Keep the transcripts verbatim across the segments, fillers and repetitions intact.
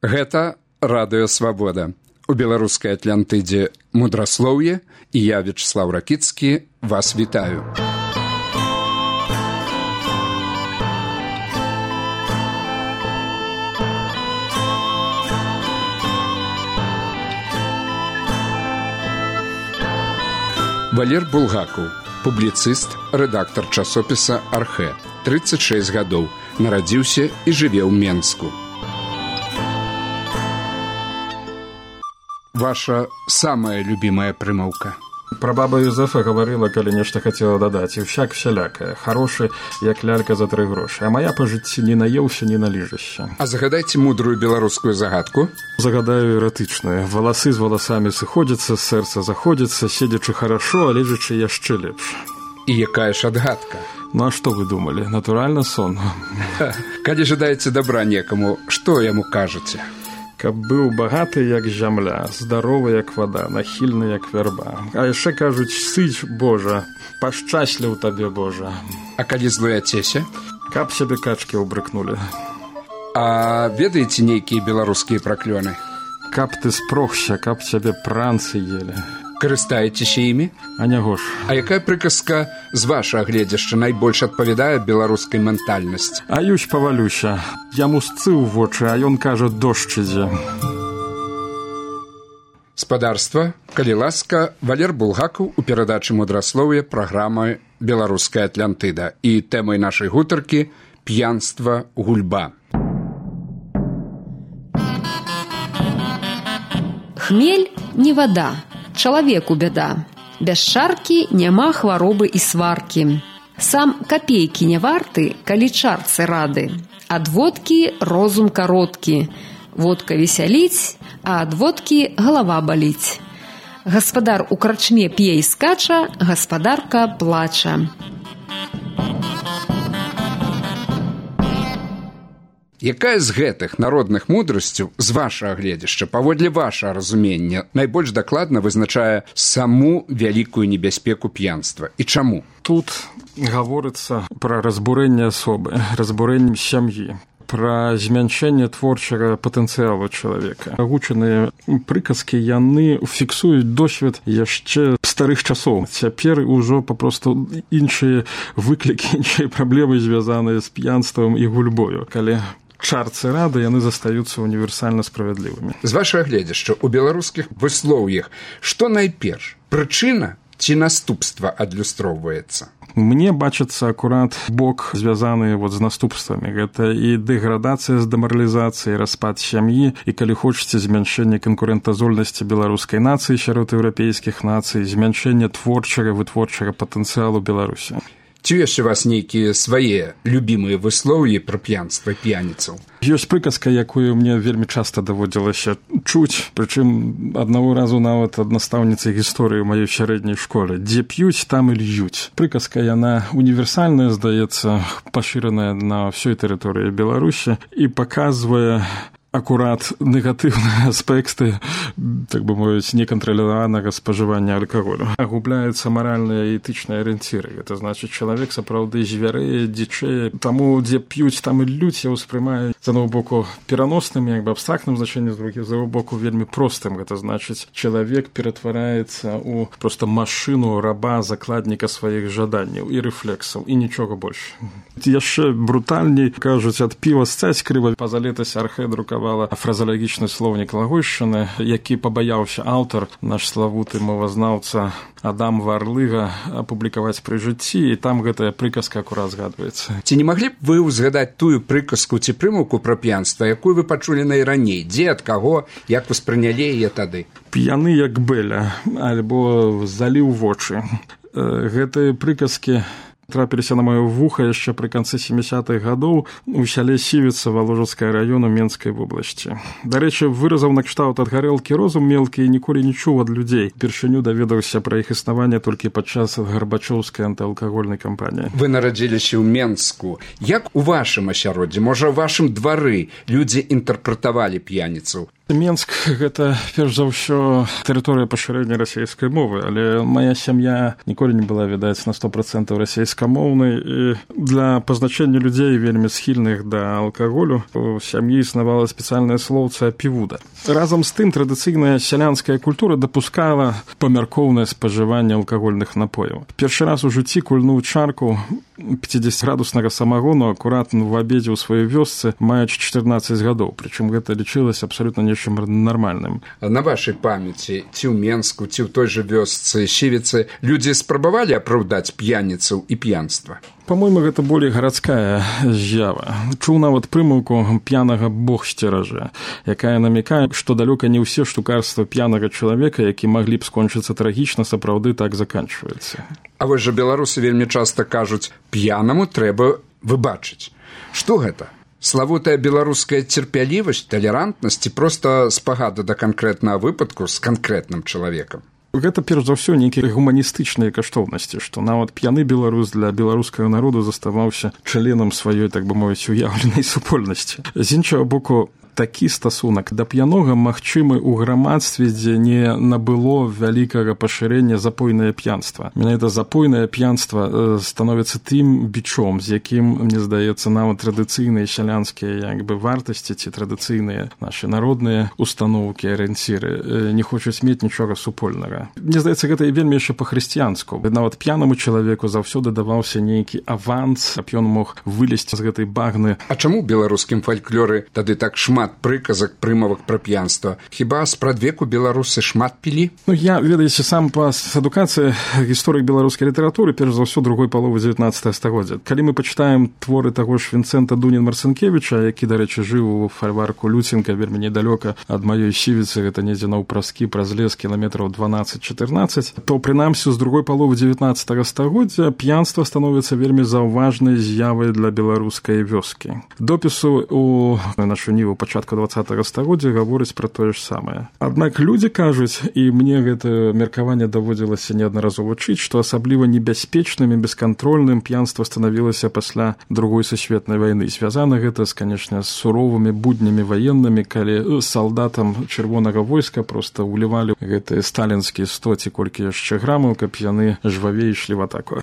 Гэта радыё Свабода. У беларускай Атлантыдзе мудраслоўе, і я, Вячеслав Ракіцкі, вас вітаю. Валер Булгакаў, публіцыст, рэдактар часопіса «Архэ». трыццаць шэсць гадоў, нарадзіўся і жыве ў Менску. Ваша самая любимая прымаўка? Пра баба Юзефа гаварыла, калі нешта хацела дадаць, і ўсяк всялякае, харошы, як лялька за тры грошы, а мая па жыцці не наеўся, не наліжашся. А загадайце мудрую беларускую загадку? Загадаю эратычную. Валасы з валасамі сыходзяцца, сэрца заходзіцца, седзячы харашо, а лежачы яшчэ лепш. І якая ж адгадка? Ну а што вы думалі? Натуральна сон. Калі жадаеце добра некаму, што яму кажаце? Каб быў багаты, як зямля, здаровы, як вада, нахільны, як вярба. А яшчэ кажуць, сыць, Божа, пашчасляў табе, Божа. А калі злуяцеся? Каб сябе качкі ўбрыкнулі. А ведаеце нейкія беларускія праклёны? Каб ты спрохся, каб цябе пранцы елі. Карыстаецеся імі? А няго ж. А якая прыказка з вашага гледзяшча найбольш адпавядае беларускай ментальнасці? Аюсь павалюся. Яму сцыў вочы, а ён кажа, дождж ідзе. Спадарства, калі ласка, Валер Булгакаў у перадачы мудраслоўя праграмы «Беларуская Атлантыда». І тэмай нашай гутаркі «П'янства, гульба». Хмель не вада. Чалавеку бяда. Без чаркі няма хваробы і сваркі. Сам капейкі не варты, калі чарцы рады. Ад водкі розум кароткі. Водка весяліць, а ад водкі галава баліць. Гаспадар у крачме п'е і скача, гаспадарка плача. Якая з гэтых народных мудрасцяў, з вашага гледзяшча, паводле вашага разумення, найбольш дакладна вызначае саму вялікую небяспеку п'янства? І чаму? Тут гаворыцца пра разбурэнне асобы, разбурэнне сям'і, пра змяншэнне творчага патэнцыялу чалавека. Агучаныя прыказкі, яны фіксуюць досвед яшчэ старых часоў. Цяпер ужо папросту іншыя выклікі, іншыя праблемы звязаныя з п'янствам і гульбою. Калі чарцы рады, яны застаюцца універсальна справядлівымі. З вашага гледзяшча, у беларускіх выслоўях, што найперш, прычына ці наступства адлюстроўваецца? Мне бачыцца акурат бок, звязаны вот з наступствамі. Гэта і дэградацыя з дэмаралізацыяй, распад сям'і, і, калі хочаце, змяншэнне канкурэнтаздольнасці беларускай нацыі сярод еўрапейскіх нацый, змяншэнне творчага, вытворчага патэнцыялу Беларусі. Ці ёсць у вас нейкія свае любімыя выслоўі пра п'янства п'яніцаў? Ёсць прыказка, якую мне вельмі часта даводзілася чуць, прычым аднаго разу нават ад настаўніцы гісторыі ў маёй сярэдняй школе. Дзе п'юць, там і льюць. Прыказка, яна універсальная, здаецца, пашыраная на ўсёй тэрыторыі Беларусі і паказвае акурат негатыўныя аспекты, так бы мовіць, некантраляванага спажывання алкаголю. Агубляюцца маральныя і этычныя арыенціры. Гэта значыць, чалавек сапраўды звярэе, дзічэе. Таму, дзе п'юць, там і льюць, я ўспрымаю з аднаго боку пераносным, як бы абстрактным значэннем, з другога боку вельмі простым. Гэта значыць, чалавек ператвараецца ў проста машыну раба, закладніка сваіх жаданняў і рэфлексаў, і нічога больш. Яшчэ брутальней, кажуць, ад піва сцяць крыва. Пазалетась Архэ друкавала фразалагічны слоўнік лагойшчыны, які пабаяўся аўтар, наш славуты мовазнаўца Адам Варлыга, апублікаваць пры жыцці, і там гэтая прыказка акурат згадваецца. Ці не маглі б вы ўзгадаць тую прыказку ці прымаўку пра п'янства, якую вы пачулі найраней? Дзе, ад каго, як вы спрынялі яе тады? П'яны як бэля, альбо заліў вочы. Гэтыя прыказкі трапіліся на маё вуха яшчэ пры канцы сямідзясятых гадоў у сяле Сівіца Валожацкага раёну Менскай вобласці. Дарэчы, выразаў накшталт ад гарэлкі розум мелкі і ніколі не чуў ад людзей. Упершыню даведаўся пра іх існаванне толькі падчас гарбачоўскай антыалкагольнай кампаніі. Вы нарадзіліся ў Менску. Як у вашым асяроддзі, можа, у вашым двары людзі інтэрпрэтавалі п'яніцаў? Менск гэта перш за ўсё тэрыторыя пашырэння расейскай мовы, але моя сям'я ніколі не была, відаць, на сто процентаў расейскамоўнай, і для пазначэння людзей вельмі схільных да алкаголю у сям'і існавала спецыяльная слоўца півуда. Разам з тым традыцыйная сялянская культура дапускала памяркоўнае спажыванне алкагольных напояў. Першы раз у жыцці кульнуў чарку пяцідзесяціградуснага самагону акуратна в абедзе ў сваёй вёсцы, маючы чатырнаццаць гадоў, прычым гэта лічылася абсалютна нечым нармальным. На вашай памяці, ці ў Менску, ці ў той жа вёсцы Сівіцы, людзі спрабавалі апраўдаць п'яніцаў і п'янства? По-мойму, гэта болей гарадская з'ява. Чуў нават прымаўку «п'янага Бог сцеражэ», якая намякае, што далёка не ўсе штукарства п'янага чалавека, які маглі б скончыцца трагічна, сапраўды так заканчваюцца. А вось жа беларусы вельмі часта кажуць, п'янаму трэба выбачыць. Што гэта? Славутая беларуская цярпялівасць, талерантнасць ці проста спагада да канкрэтнага выпадку з канкрэтным чалавекам? Гэта, перш за ўсё, нейкія гуманістычныя каштоўнасці, што нават п'яны беларус для беларускага народу заставаўся членам сваёй, так бы мовіць, уяўленай супольнасці. З іншага боку, такі стасунак да п'янога магчымы ў грамадстве, дзе не набыло вялікага пашырэння запойнае п'янства. Менавіта запойнае п'янства становіцца тым бичом, з якім, мне здаецца, нават традыцыйныя сялянскія як бы вартасці ці традыцыйныя нашы народныя установкі, арыенціры не хочуць мець нічога супольнага. Мне здаецца, гэта і вельмі яшчэ па-хрысціянску. Нават п'янаму чалавеку заўсёды даваўся нейкі аванс, каб ён мог вылезці з гэтай багны. А чаму ў беларускім фальклоры тады так шмат прыказак, прымавак пра п'янства? Хіба спрадвеку беларусы шмат пілі? Ну, я, ведаеце, сам па адукацыі гісторык беларускай літаратуры, перш за ўсё, другой паловы дзевятнаццатага стагоддзя. Калі мы пачытаем творы таго ж Вінцэнта Дунін-Марцынкевіча, які, дарэчы, жыў у фальварку Люценка, вельмі недалёка ад маёй Сівіцы, гэта недзе наўпраскі праз лес кіламетраў дванаццаць-чатырнаццаць, то, прынамсі, з другой паловы дзевятнаццатага стагоддзя п'янства становіцца вельмі заўважнай з'явай для беларускай вёскі. Допісу у нашу ніву пачатку дваццатага стагоддзя гаворыць пра тое ж самае. Аднак людзі кажуць, і мне гэта меркаванне даводзілася неаднаразова чыць, што асабліва небяспечным і бескантрольным п'янства станавілася пасля другой сусветнай вайны. Звязана гэта, канечне, з суровымі буднямі ваеннымі, калі салдатам чырвонага войска проста ўлівалі гэтыя сталінскія сто ці колькі яшчэ грамаў, каб яны жвавей ішлі в атаку.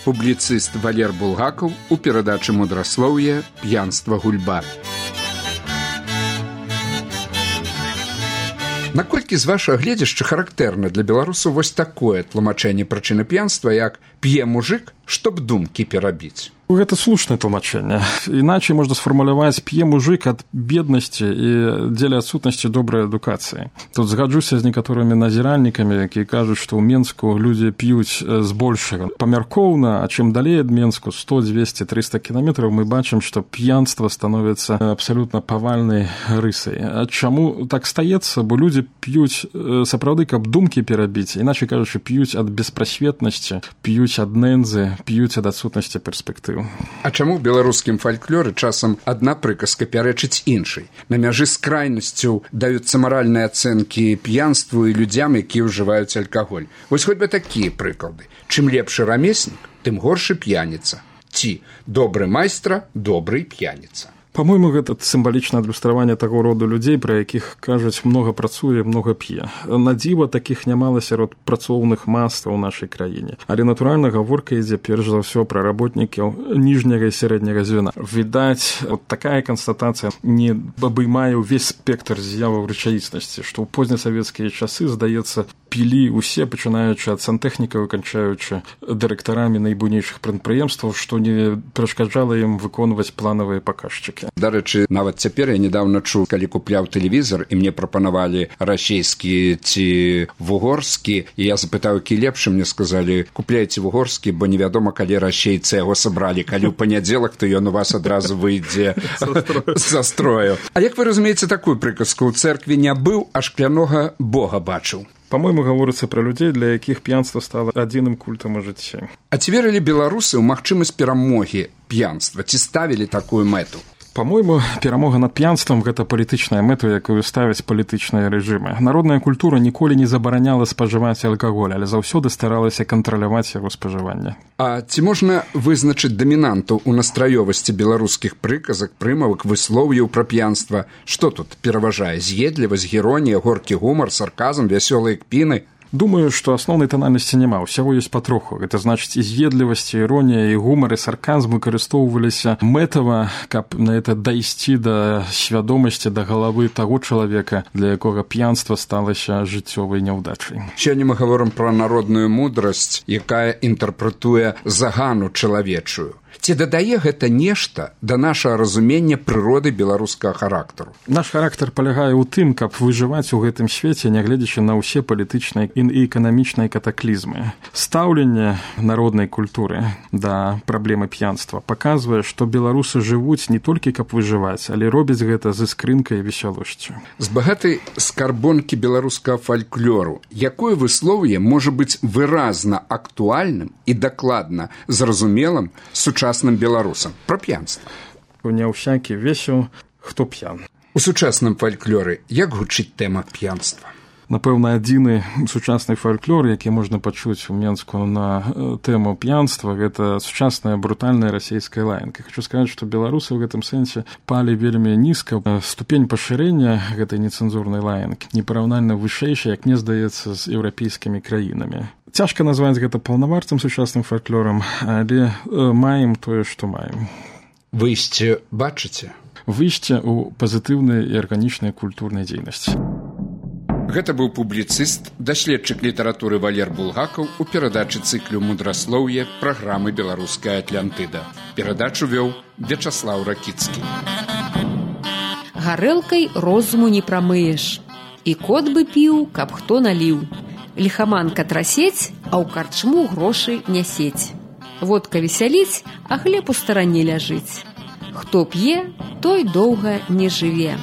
Публіцыст Валер Булгакаў у перадачы «Мудраслоўе. П'янства гульба». Наколькі з вашага гледзяшча характэрна для беларусаў вось такое тлумачэнне прычыны п'янства, як «п'е мужык, чтоб думкі перабіць»? Гэта слушнае тлумачэнне. Іначай можна сфармуляваць «п'е мужык ад беднасці і дзеля адсутнасці добрай адукацыі». Тут згаджуся з некаторымі назіральнікамі, якія кажуць, што ў Менску людзі п'юць збольшага. Памяркоўна, а чым далей ад Менску, сто, дзвесце, трыста кіламетраў, мы бачым, што п'янства становіцца абсалютна павальнай рысай. А чаму так стаецца? Бо людзі п'юць сапраўды, каб думкі перабіць, іначай кажучы, п'юць ад беспрасветнасці, п'юць ад нэнзы, п'юць ад адсутнасці перспектыў. А чаму ў беларускім фальклоры часам адна прыказка пярэчыць іншай? На мяжы з крайнасцю даюцца маральныя ацэнкі п'янству і людзям, якія ўжываюць алкаголь. Вось хоць бы такія прыклады. Чым лепшы рамеснік, тым горшы п'яніца. Ці добры майстра, добрый п'яніца. Па-мойму, гэта сімвалічнае адлюстраванне таго роду людзей, пра якіх кажуць, многа працуе, многа п'е. На дзіва такіх нямала сярод працоўных мас у нашай краіне. Але, натуральна, гаворка ідзе перш за ўсё пра работнікаў ніжняга і сярэдняга звена. Відаць, от такая канстатацыя не абаймае ўвесь спектр з'яваў рэчаіснасці, што ў познесавецкія часы, здаецца, пілі усе, пачынаючы ад сантэхнікаў і канчаючы дырэктарамі найбуйнейшых прадпрыемстваў, што не перашкаджала ім выконваць планавыя паказчыкі. Дарэчы, нават цяпер я недавно чуў, калі купляў тэлевізор, і мне прапанавалі расейскі ці вугорскі, і я запытаў, які лепшы, мне сказалі, купляйце вугорскі, бо невядома, калі расейцы яго сабралі. Калі ў панядзелак, то ён у вас адразу выйдзе са строю. А як вы разумееце такую прыказку? У цэркве не быў, а шклянога Бога бачыў. Па-мойму, гаворыцца пра людзей, для якіх п'янства стала адзіным культам у жыцці. А ці верылі беларусы ў магчымасць перамогі п'янства? Ці ставілі такую мэту? Па-мойму, перамога над п'янствам – гэта палітычная мэта, якую ставяць палітычныя рэжымы. Народная культура ніколі не забараняла спажываць алкаголь, але заўсёды старалася кантраляваць яго спажыванне. А ці можна вызначыць дамінанту ў настраёвасці беларускіх прыказак, прымавак, выслоўяў пра п'янства? Што тут пераважае? З'едлівасць, іронія, горкі гумар, сарказм, вясёлыя кпіны? Думаю, што асноўнай танальнасці няма, усяго ёсць патроху. Гэта значыць, і з'едлівасць, і іронія, і гумар, і сарказм выкарыстоўваліся мэтава, каб на это дайсці да свядомасці, да галавы таго чалавека, для якога п'янства сталася жыццёвай няўдачай. Сёння мы гаворым пра народную мудрасць, якая інтэрпрэтуе загану чалавечую. Ці дадае гэта нешта да нашага разумення прыроды беларускага характару? Наш характар палягае ў тым, каб выжываць у гэтым свеце, нягледзячы на ўсе палітычныя і эканамічныя катаклізмы. Стаўленне народнай культуры да праблемы п'янства паказвае, што беларусы жывуць не толькі каб выжываць, але робяць гэта з іскрынкай і весялосцю. З багатай скарбонкі беларускага фальклору, якое выслоўе можа быць выразна актуальным і дакладна зразумелым сучасным беларусам пра п'янства? Не ўсякі весел, хто п'ян. У сучасным фальклоры як гучыць тэма п'янства? Напэўна, адзіны сучасны фальклор, які можна пачуць у Менску на тэму п'янства, гэта сучасная брутальная расійская лаянка. Хочу сказаць, што беларусы ў гэтым сэнсе палі вельмі нізка. Ступень пашырэння гэтай нецэнзурнай лаянкі непараўнальна вышэйшая, як мне здаецца, з еўрапейскімі краінамі. Цяжка назваць гэта паўнавартым сучасным фальклорам, але маем тое, што маем. Выйсце бачыце? Выйсце ў пазітыўнай і арганічнай культурнай дзейнасці. Гэта быў публіцыст, даследчык літаратуры Валер Булгакаў у перадачы цыклю «Мудраслоўе» праграмы «Беларуская Атлантыда». Перадачу вёў Вячаслаў Ракіцкі. Гарэлкай розуму не прамыеш. І кот бы піў, каб хто наліў. Ліхаманка трасець, а ў карчму грошы нясець. Водка весяліць, а хлеб у старане ляжыць. Хто п'е, той доўга не жыве.